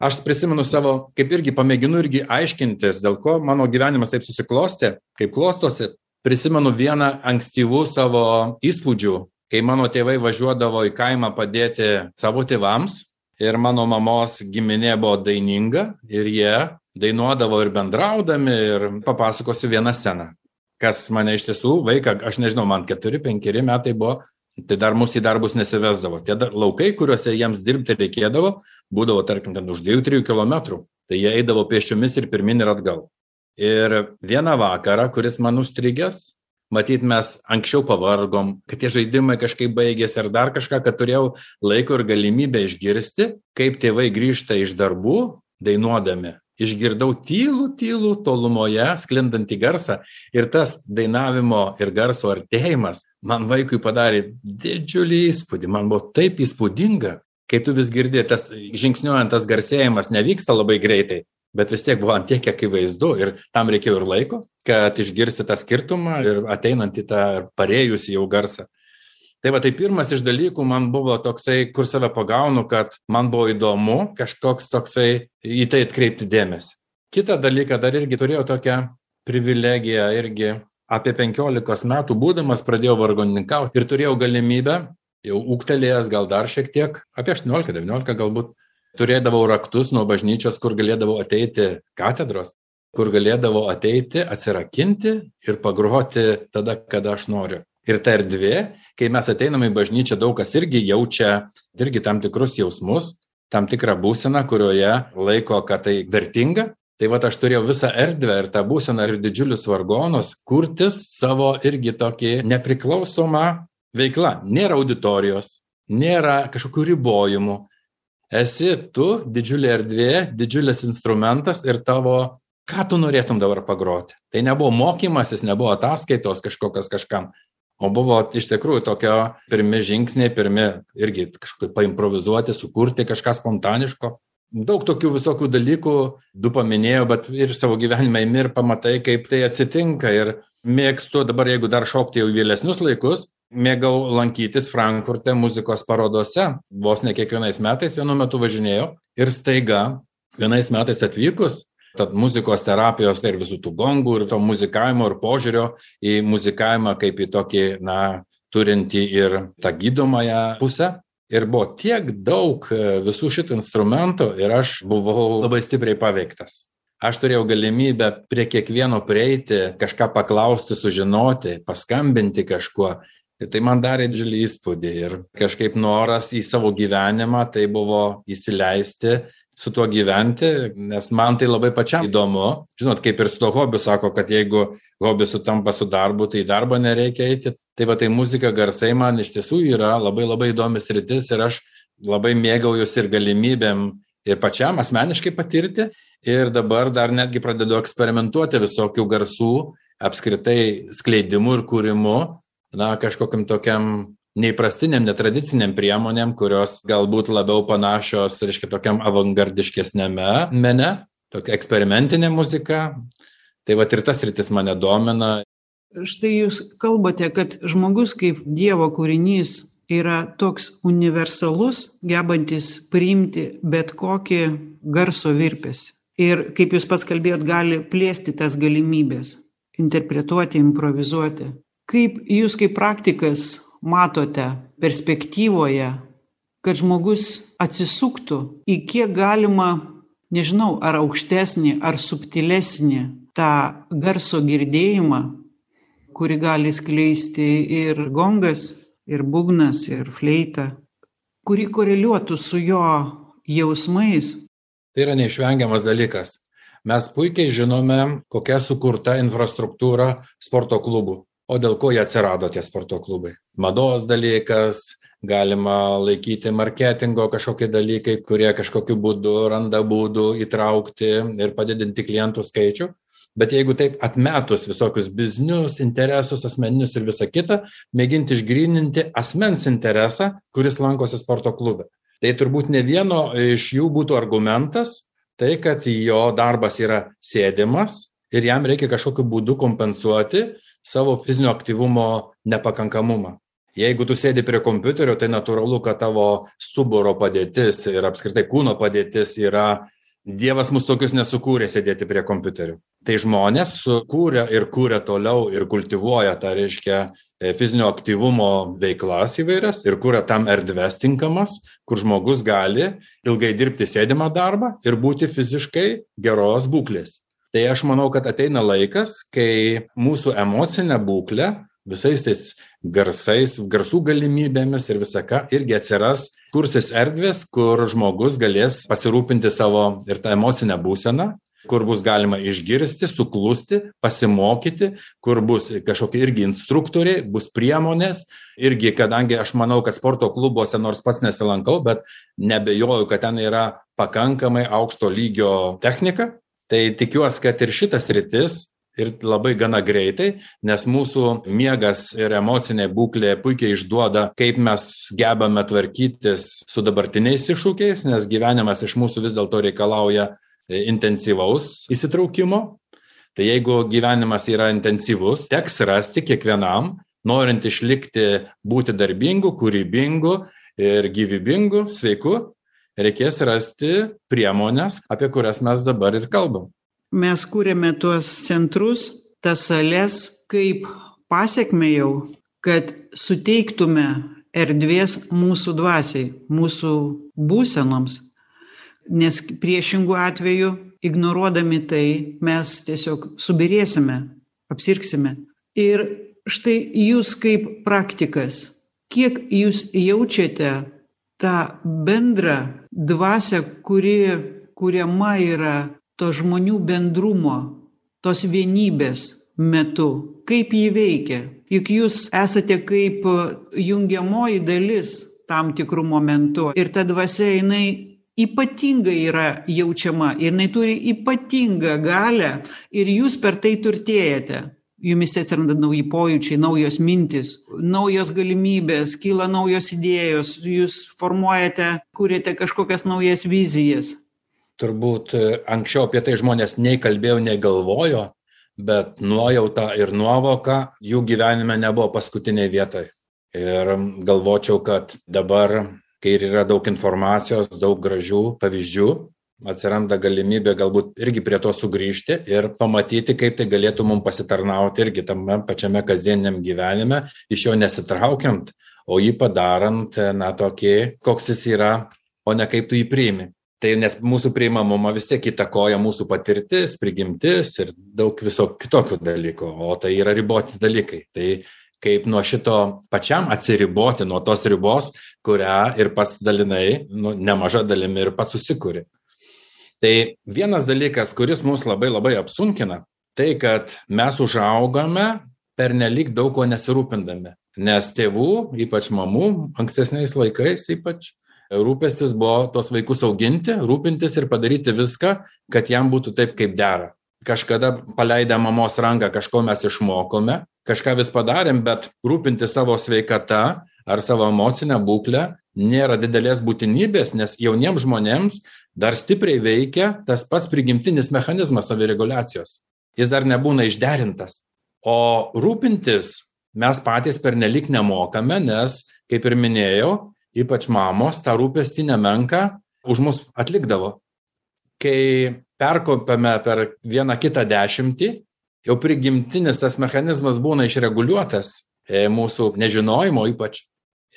Aš prisimenu savo, kaip irgi pamėginu irgi aiškintis, dėl ko mano gyvenimas taip susiklostė, kaip klostosi. Prisimenu vieną ankstyvų savo įspūdžių, kai mano tėvai važiuodavo į kaimą padėti savo tėvams ir mano mamos giminė buvo daininga ir jie dainuodavo ir bendraudami ir papasakosiu vieną sceną. Kas mane iš tiesų, vaiką, aš nežinau, man 4-5 metai buvo, tai dar mūsų į darbus nesivesdavo. Tie laukai, kuriuose jiems dirbti reikėdavo, būdavo, tarkim, ten už 2-3 kilometrų. Tai jie eidavo pėsčiomis ir pirmin ir atgal. Ir vieną vakarą, kuris man užstrigęs, matyt, mes anksčiau pavargom, kad tie žaidimai kažkaip baigėsi ar dar kažką, kad turėjau laiko ir galimybę išgirsti, kaip tėvai grįžta iš darbų, dainuodami. Išgirdau tylų tolumoje sklindantį garsą ir tas dainavimo ir garso artėjimas man vaikui padarė didžiulį įspūdį. Man buvo taip įspūdinga, kai tu vis girdi, tas žingsniuojant tas garsėjimas nevyksta labai greitai, bet vis tiek buvo ant tiek akivaizdu ir tam reikėjo ir laiko, kad išgirsti tą skirtumą ir ateinant į tą parėjusį jau garsą. Tai va, tai pirmas iš dalykų man buvo toksai, kur save pagaunu, kad man buvo įdomu kažkoks toksai į tai atkreipti dėmesį. Kitą dalyką dar irgi turėjau tokią privilegiją, irgi apie 15 metų būdamas pradėjau vargonininkauti ir turėjau galimybę, jau ūgtelėjęs gal dar šiek tiek, apie 18-19 galbūt, turėdavau raktus nuo bažnyčios, kur galėdavau ateiti katedros, kur galėdavau ateiti, atsirakinti ir pagroti tada, kada aš noriu. Ir ta erdvė, kai mes ateiname į bažnyčią, daug kas irgi jaučia irgi tam tikrus jausmus. tam tikrą būseną, kurioje laiko, kad tai vertinga. Tai vat aš turėjau visą erdvę ir tą būseną ir didžiulius vargonus kurtis savo irgi tokį nepriklausomą veiklą. Nėra auditorijos, nėra kažkokių ribojimų. Esi tu, didžiulė erdvė, didžiulis instrumentas ir tavo, ką tu norėtum dabar pagroti. Tai nebuvo mokymasis, nebuvo ataskaitos kažkokios kažkam, o buvo iš tikrųjų tokio pirmi žingsniai, pirmi irgi kažkaip paimprovizuoti, sukurti kažką spontaniško. Daug tokių visokių dalykų, du paminėjau, bet ir savo gyvenime imi ir pamatai, kaip tai atsitinka. Ir mėgstu dabar, jeigu dar šokti jau į vėlesnius laikus, mėgau lankytis Frankfurte muzikos parodose. Vos ne kiekvienais metais vienu metu važinėjau ir staiga vienais metais atvykus, tad muzikos terapijos ir visų tų gongų ir to muzikavimo ir požiūrio į muzikavimą kaip į tokį, turintį ir tą gydomąją pusę. Ir buvo tiek daug visų šitų instrumentų ir aš buvau labai stipriai paveiktas. Aš turėjau galimybę prie kiekvieno prieiti, kažką paklausti, sužinoti, paskambinti kažkuo. Tai man darė didžiulį įspūdį ir kažkaip noras į savo gyvenimą tai buvo įsileisti, su tuo gyventi, nes man tai labai pačiam įdomu. Žinot, kaip ir su to hobiu sako, kad jeigu hobis sutampa su darbu, tai į darbą nereikia eiti. Tai va, tai muzika, garsai man iš tiesų yra labai labai įdomi sritis ir aš labai mėgaujuosi ir galimybėm ir pačiam asmeniškai patirti. Ir dabar dar netgi pradedu eksperimentuoti visokių garsų, apskritai skleidimu ir kūrimu, kažkokiam tokiam neįprastiniam, netradiciniam priemonėm, kurios galbūt labiau panašios, reiškia, tokiam avangardiškesnėme mene, tokia eksperimentinė muzika. Tai va ir tas sritis mane domina. Štai jūs kalbate, kad žmogus kaip Dievo kūrinys yra toks universalus, gebantis priimti bet kokį garso virpesį. Ir kaip jūs pats kalbėjot, gali plėsti tas galimybės, interpretuoti, improvizuoti. Kaip jūs kaip praktikas matote perspektyvoje, kad žmogus atsisuktų į kiek galima, nežinau, ar aukštesnį, ar subtilesnį tą garso girdėjimą, kurį gali skleisti ir gongas, ir būgnas, ir fleita, kuri koreliuotų su jo jausmais. Tai yra neišvengiamas dalykas. Mes puikiai žinome, kokia sukurta infrastruktūra sporto klubų. O dėl ko jie atsirado tie sporto klubai? Mados dalykas, galima laikyti marketingo kažkokie dalykai, kurie kažkokiu būdu randa būdų įtraukti ir padidinti klientų skaičių. Bet jeigu taip atmetus visokius biznius, interesus, asmeninius ir visą kitą, mėginti išgryninti asmens interesą, kuris lankosi sporto klube. Tai turbūt ne vieno iš jų būtų argumentas, tai kad jo darbas yra sėdimas ir jam reikia kažkokiu būdu kompensuoti savo fizinio aktyvumo nepakankamumą. Jeigu tu sėdi prie kompiuterio, tai natūralu, kad tavo stuburo padėtis ir apskritai kūno padėtis yra, Dievas mus tokius nesukūrė sėdėti prie kompiuterių. Tai žmonės sukūrė ir kūrė toliau ir kultivuoja tą, reiškia, fizinio aktyvumo veiklas įvairias ir kūrė tam erdves tinkamas, kur žmogus gali ilgai dirbti sėdimą darbą ir būti fiziškai geros būklės. Tai aš manau, kad ateina laikas, kai mūsų emocinė būklė visais tais garsais, garsų galimybėmis ir visą ką irgi atsiras, kursis erdvės, kur žmogus galės pasirūpinti savo ir tą emocinę būseną, kur bus galima išgirsti, suklusti, pasimokyti, kur bus kažkokie irgi instruktoriai, bus priemonės. Irgi, kadangi aš manau, kad sporto klubuose, nors pats nesilankau, bet nebejoju, kad ten yra pakankamai aukšto lygio technika. Tai tikiuosi, kad ir šitas sritis ir labai gana greitai, nes mūsų miegas ir emocinė būklė puikiai išduoda, kaip mes gebame tvarkytis su dabartiniais iššūkiais, nes gyvenimas iš mūsų vis dėlto reikalauja intensyvaus įsitraukimo. Tai jeigu gyvenimas yra intensyvus, teks rasti kiekvienam, norint išlikti, būti darbingu, kūrybingu ir gyvybingu, sveiku, reikės rasti priemonės, apie kurias mes dabar ir kalbam. Mes kūrėme tuos centrus, tas sales, kaip pasiekme jau, kad suteiktume erdvės mūsų dvasiai, mūsų būsenoms. Nes priešingų atveju, ignoruodami tai, mes tiesiog subirėsime, apsirksime. Ir štai jūs kaip praktikas, kiek jūs jaučiate tą bendrą dvasią, kuri kuriama yra to žmonių bendrumo, tos vienybės metu. Kaip jį veikia? Juk jūs esate kaip jungiamoji dalis tam tikrų momentų. Ir ta dvasia, jinai ypatingai yra jaučiama, jinai turi ypatingą galią ir jūs per tai turtėjate. Jumise atsiranda nauji pojūčiai, naujos mintis, naujos galimybės, kyla naujos idėjos, jūs formuojate, kuriate kažkokias naujas vizijas. Turbūt anksčiau apie tai žmonės nei kalbėjo, nei galvojo, bet nuojauta ir nuovoka jų gyvenime nebuvo paskutiniai vietoj. Ir galvočiau, kad dabar, kai yra daug informacijos, daug gražių pavyzdžių, atsiranda galimybė galbūt irgi prie to sugrįžti ir pamatyti, kaip tai galėtų mums pasitarnauti irgi tame pačiame kasdieniam gyvenime, iš jo nesitraukiant, o jį padarant, tokį, koks jis yra, o ne kaip tu jį priimi. Tai nes mūsų priimamumą vis tiek įtakoja mūsų patirtis, prigimtis ir daug viso kitokių dalykų, o tai yra riboti dalykai. Tai kaip nuo šito pačiam atsiriboti, nuo tos ribos, kurią ir pats dalinai, nemaža dalimi ir pats susikuri. Tai vienas dalykas, kuris mus labai apsunkina, tai kad mes užaugame pernelyg daug ko nesirūpindami. Nes tėvų, ypač mamų, ankstesniais laikais ypač, rūpestis buvo tos vaikus auginti, rūpintis ir padaryti viską, kad jam būtų taip, kaip dera. Kažkada paleidę mamos ranką, kažko mes išmokome, kažką vis padarėm, bet rūpinti savo sveikata ar savo emocinę būklę nėra didelės būtinybės, nes jauniems žmonėms dar stipriai veikia tas pats prigimtinis mechanizmas savireguliacijos. Jis dar nebūna išderintas. O rūpintis mes patys pernelyg nemokame, nes, kaip ir minėjau, ypač mamos tą rūpestį nemenką už mus atlikdavo. Kai perkopėme per vieną kitą dešimtį, jau prigimtinis tas mechanizmas būna išreguliuotas mūsų nežinojimo ypač.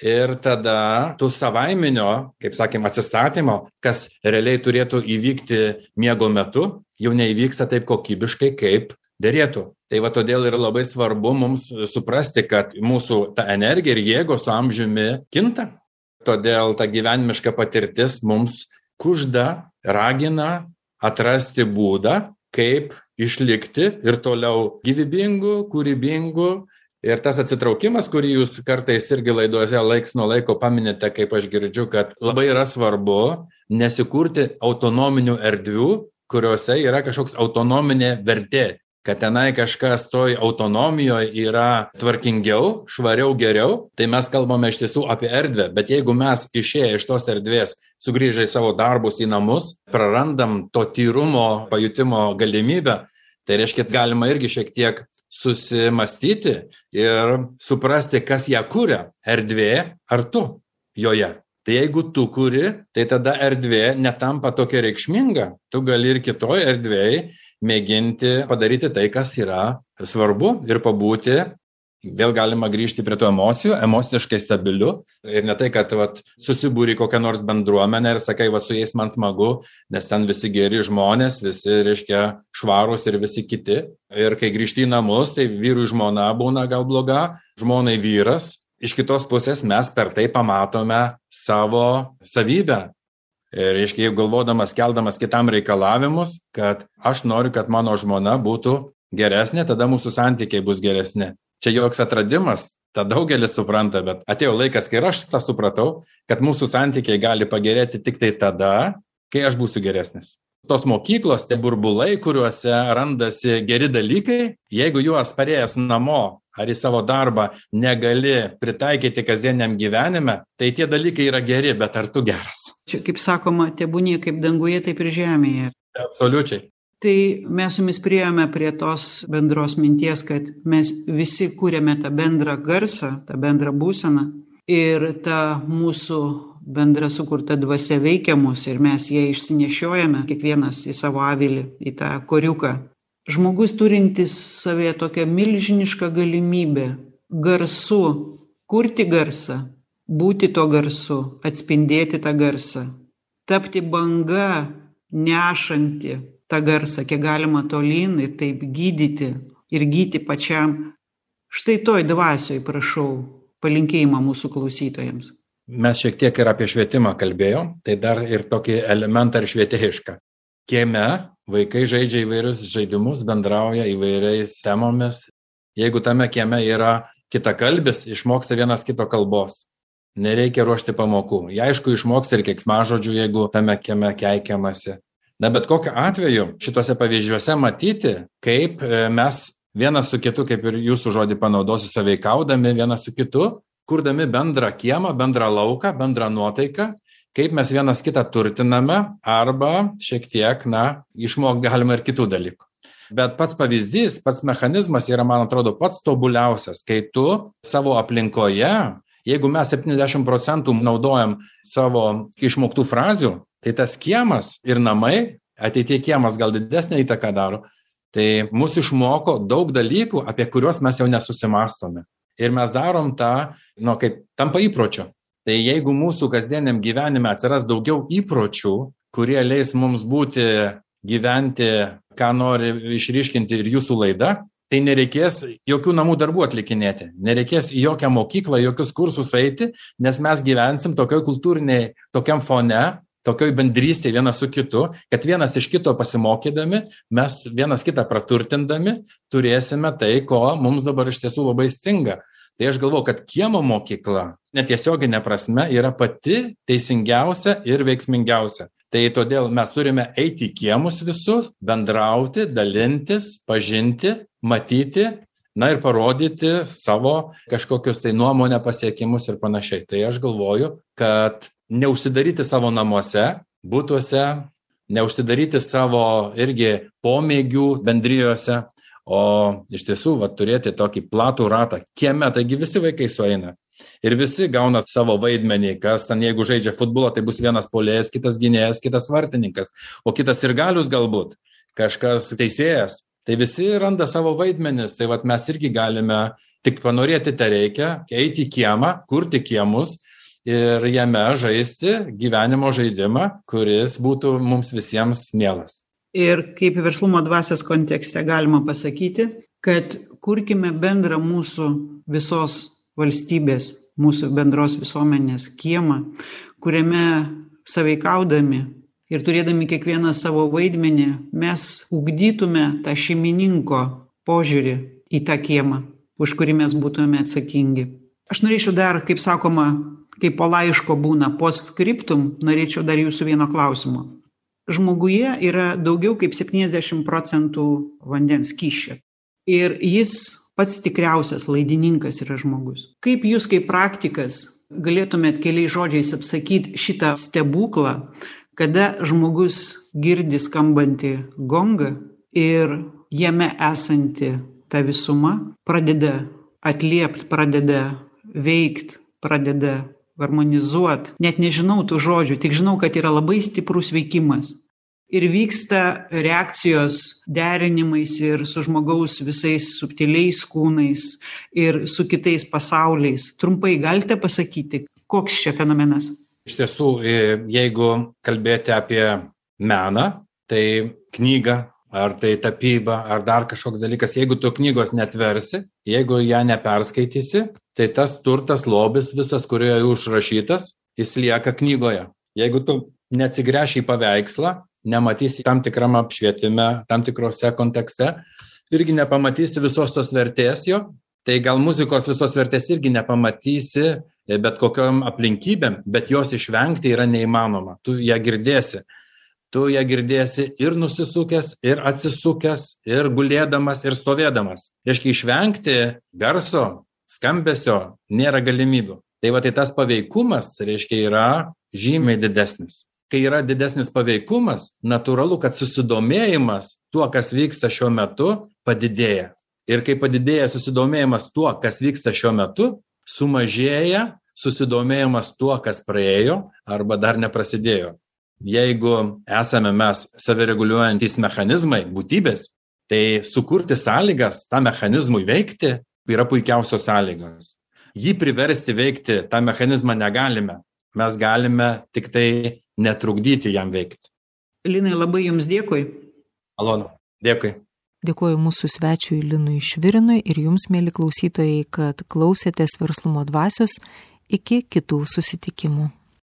Ir tada tų savaiminio, kaip sakėm, atsistatymo, kas realiai turėtų įvykti miego metu, jau neįvyksta taip kokybiškai, kaip derėtų. Tai va todėl yra labai svarbu mums suprasti, kad mūsų ta energija ir jėgos su amžiumi kinta. Todėl ta gyvenimiška patirtis mums kužda, ragina atrasti būdą, kaip išlikti ir toliau gyvybingu, kūrybingu. Ir tas atsitraukimas, kurį jūs kartais irgi laidose laiks nuo laiko paminite, kaip aš girdžiu, kad labai yra svarbu nesikurti autonominių erdvių, kuriuose yra kažkoks autonominė vertė, kad tenai kažkas toj autonomijoje yra tvarkingiau, švariau, geriau, tai mes kalbame iš tiesų apie erdvę. Bet jeigu mes išėję iš tos erdvės, sugrįžę į savo darbus, į namus, prarandam to tyrumo, pajutimo galimybę, tai reiškia, galima irgi šiek tiek susimastyti ir suprasti, kas ją kuria, erdvė ar tu joje. Tai jeigu tu kuri, tai tada erdvė netampa tokia reikšminga. Tu gali ir kitoje erdvėje mėginti padaryti tai, kas yra svarbu ir pabūti. Vėl galima grįžti prie tų emocijų, emociškai stabiliu. Ir ne tai, kad susibūri kokią nors bendruomenę ir sakai, su jais man smagu, nes ten visi geri žmonės, visi, reiškia, švarūs ir visi kiti. Ir kai grįžti į namus, tai vyrui žmona būna gal bloga, žmonai vyras. Iš kitos pusės mes per tai pamatome savo savybę. Ir, reiškia, jeigu galvodamas, keldamas kitam reikalavimus, kad aš noriu, kad mano žmona būtų geresnė, tada mūsų santykiai bus geresni. Čia joks atradimas, tą daugelis supranta, bet atėjo laikas, kai aš tą supratau, kad mūsų santykiai gali pagerėti tik tai tada, kai aš būsiu geresnis. Tos mokyklos, tie burbulai, kuriuose randasi geri dalykai, jeigu juos parėjęs namo ar į savo darbą negali pritaikyti kasdieniam gyvenime, tai tie dalykai yra geri, bet ar tu geras? Čia, kaip sakoma, tebūnie kaip danguje, taip ir žemėje. Absoliučiai. Tai mes su jumis priėjome prie tos bendros minties, kad mes visi kūrėme tą bendrą garsą, tą bendrą būseną ir ta mūsų bendra sukurta dvasia veikia mus ir mes ją išsinešiojame, kiekvienas į savo avilį, į tą koriuką. Žmogus turintis savėje tokią milžinišką galimybę garsu, kurti garsą, būti to garsu, atspindėti tą garsą, tapti banga, nešanti tą garsą, kiek galima tolyn ir taip gydyti ir gyti pačiam. Štai toj dvasioj prašau palinkėjimą mūsų klausytojams. mes šiek tiek ir apie švietimą kalbėjom, tai dar ir tokį elementą ir švietėjišką. Kieme vaikai žaidžia įvairius žaidimus, bendrauja įvairiais temomis. Jeigu tame kieme yra kitakalbis, išmoksta vienas kito kalbos. Nereikia ruošti pamokų. Jie aišku išmoksta ir keiksmažodžių, jeigu tame kieme keikiamasi. Na, bet kokiu atveju šituose pavyzdžiuose matyti, kaip mes vienas su kitu, kaip ir jūsų žodį panaudosiu, sąveikaudami vienas su kitu, kurdami bendrą kiemą, bendrą lauką, bendrą nuotaiką, kaip mes vienas kitą turtiname arba šiek tiek, išmokti galima ir kitų dalykų. Bet pats pavyzdys, pats mechanizmas yra, man atrodo, pats tobuliausias, kai tu savo aplinkoje, jeigu mes 70% naudojam savo išmoktų frazių, tai tas kiemas ir namai, ateitie kiemas gal didesnę įtaką daro, tai mus išmoko daug dalykų, apie kuriuos mes jau nesusimastome. Ir mes darom tą, kaip tampa įpročiu. Tai jeigu mūsų kasdieniam gyvenime atsiras daugiau įpročių, kurie leis mums gyventi, ką nori išryškinti ir jūsų laida, tai nereikės jokių namų darbų atlikinėti, nereikės į jokią mokyklą, jokius kursus eiti, nes mes gyvensim tokioj kultūriniai, tokiam fone, tokioj bendrystėje vienas su kitu, kad vienas iš kito pasimokydami, mes vienas kitą praturtindami, turėsime tai, ko mums dabar iš tiesų labai stinga. Tai aš galvoju, kad kiemo mokykla, netiesioginė prasme, yra pati teisingiausia ir veiksmingiausia. Tai todėl mes turime eiti į kiemus visus, bendrauti, dalintis, pažinti, matyti, ir parodyti savo kažkokius tai nuomonę pasiekimus ir panašiai. Tai aš galvoju, kad neužsidaryti savo namuose, butuose, neužsidaryti savo irgi pomėgių bendrijose, o iš tiesų turėti tokį platų ratą kieme, taigi visi vaikai sueina. Ir visi gauna savo vaidmenį, kas ten, jeigu žaidžia futbolą, tai bus vienas puolėjas, kitas gynėjas, kitas vartininkas, o kitas sirgalius galbūt, kažkas teisėjas. Tai visi randa savo vaidmenis, tai mes irgi galime, tik panorėti tai reikia, eiti į kiemą, kurti kiemus ir jame žaisti gyvenimo žaidimą, kuris būtų mums visiems mielas. Ir kaip verslumo dvasios kontekste galima pasakyti, kad kurkime bendrą mūsų visos valstybės, mūsų bendros visuomenės kiemą, kuriame sąveikaudami ir turėdami kiekvieną savo vaidmenį, mes ugdytume tą šeimininko požiūrį į tą kiemą, už kurį mes būtume atsakingi. Aš norėčiau dar, kaip sakoma, kaip po laiško būna postscriptum, norėčiau dar jūsų vieno klausimo. Žmoguje yra daugiau kaip 70% vandens skysčio. Ir jis pats tikriausias laidininkas yra žmogus. Kaip jūs kaip praktikas galėtumėt keliais žodžiais apsakyti šitą stebuklą, kada žmogus girdi skambantį gongą ir jame esanti ta visuma pradeda atliept, pradeda veikt, pradeda harmonizuot. Net nežinau tų žodžių, tik žinau, kad yra labai stiprus veikimas. Ir vyksta reakcijos derinimais ir su žmogaus visais subtiliais kūnais ir su kitais pasauliais. Trumpai galite pasakyti, koks čia fenomenas? Iš tiesų, jeigu kalbėti apie meną, tai knyga, ar tai tapyba, ar dar kažkoks dalykas, jeigu tu knygos netversi, jeigu ją neperskaitysi, tai tas turtas, lobis visas, kurioje užrašytas, jis lieka knygoje. Jeigu tu neatsigręši į paveikslą, nematysi tam tikram apšvietime, tam tikrose kontekste, irgi nepamatysi visos tos vertės jo, tai gal muzikos visos vertės irgi nepamatysi bet kokiom aplinkybėm, bet jos išvengti yra neįmanoma. Tu ją girdėsi. Tu ją girdėsi ir nusisukęs, ir atsisukęs, ir gulėdamas, ir stovėdamas. Reiškia, išvengti garso, skambesio nėra galimybių. Tai tas paveikumas, reiškia, yra žymiai didesnis. Kai yra didesnis paveikumas, natūralu, kad susidomėjimas tuo, kas vyksta šiuo metu, padidėja. Ir kai padidėja susidomėjimas tuo, kas vyksta šiuo metu, sumažėja susidomėjimas tuo, kas praėjo arba dar neprasidėjo. Jeigu esame mes savireguliuojantys mechanizmai, būtybės, tai sukurti sąlygas tą mechanizmui veikti yra puikiausios sąlygos. Jį priversti veikti tą mechanizmą negalime. Mes galime tik tai netrukdyti jam veikti. Linai, labai jums dėkui. Malonu, dėkui. Dėkoju mūsų svečiui Linui Švirinui ir jums, mėly klausytojai, kad klausėtės Verslumo dvasios. Iki kitų susitikimų.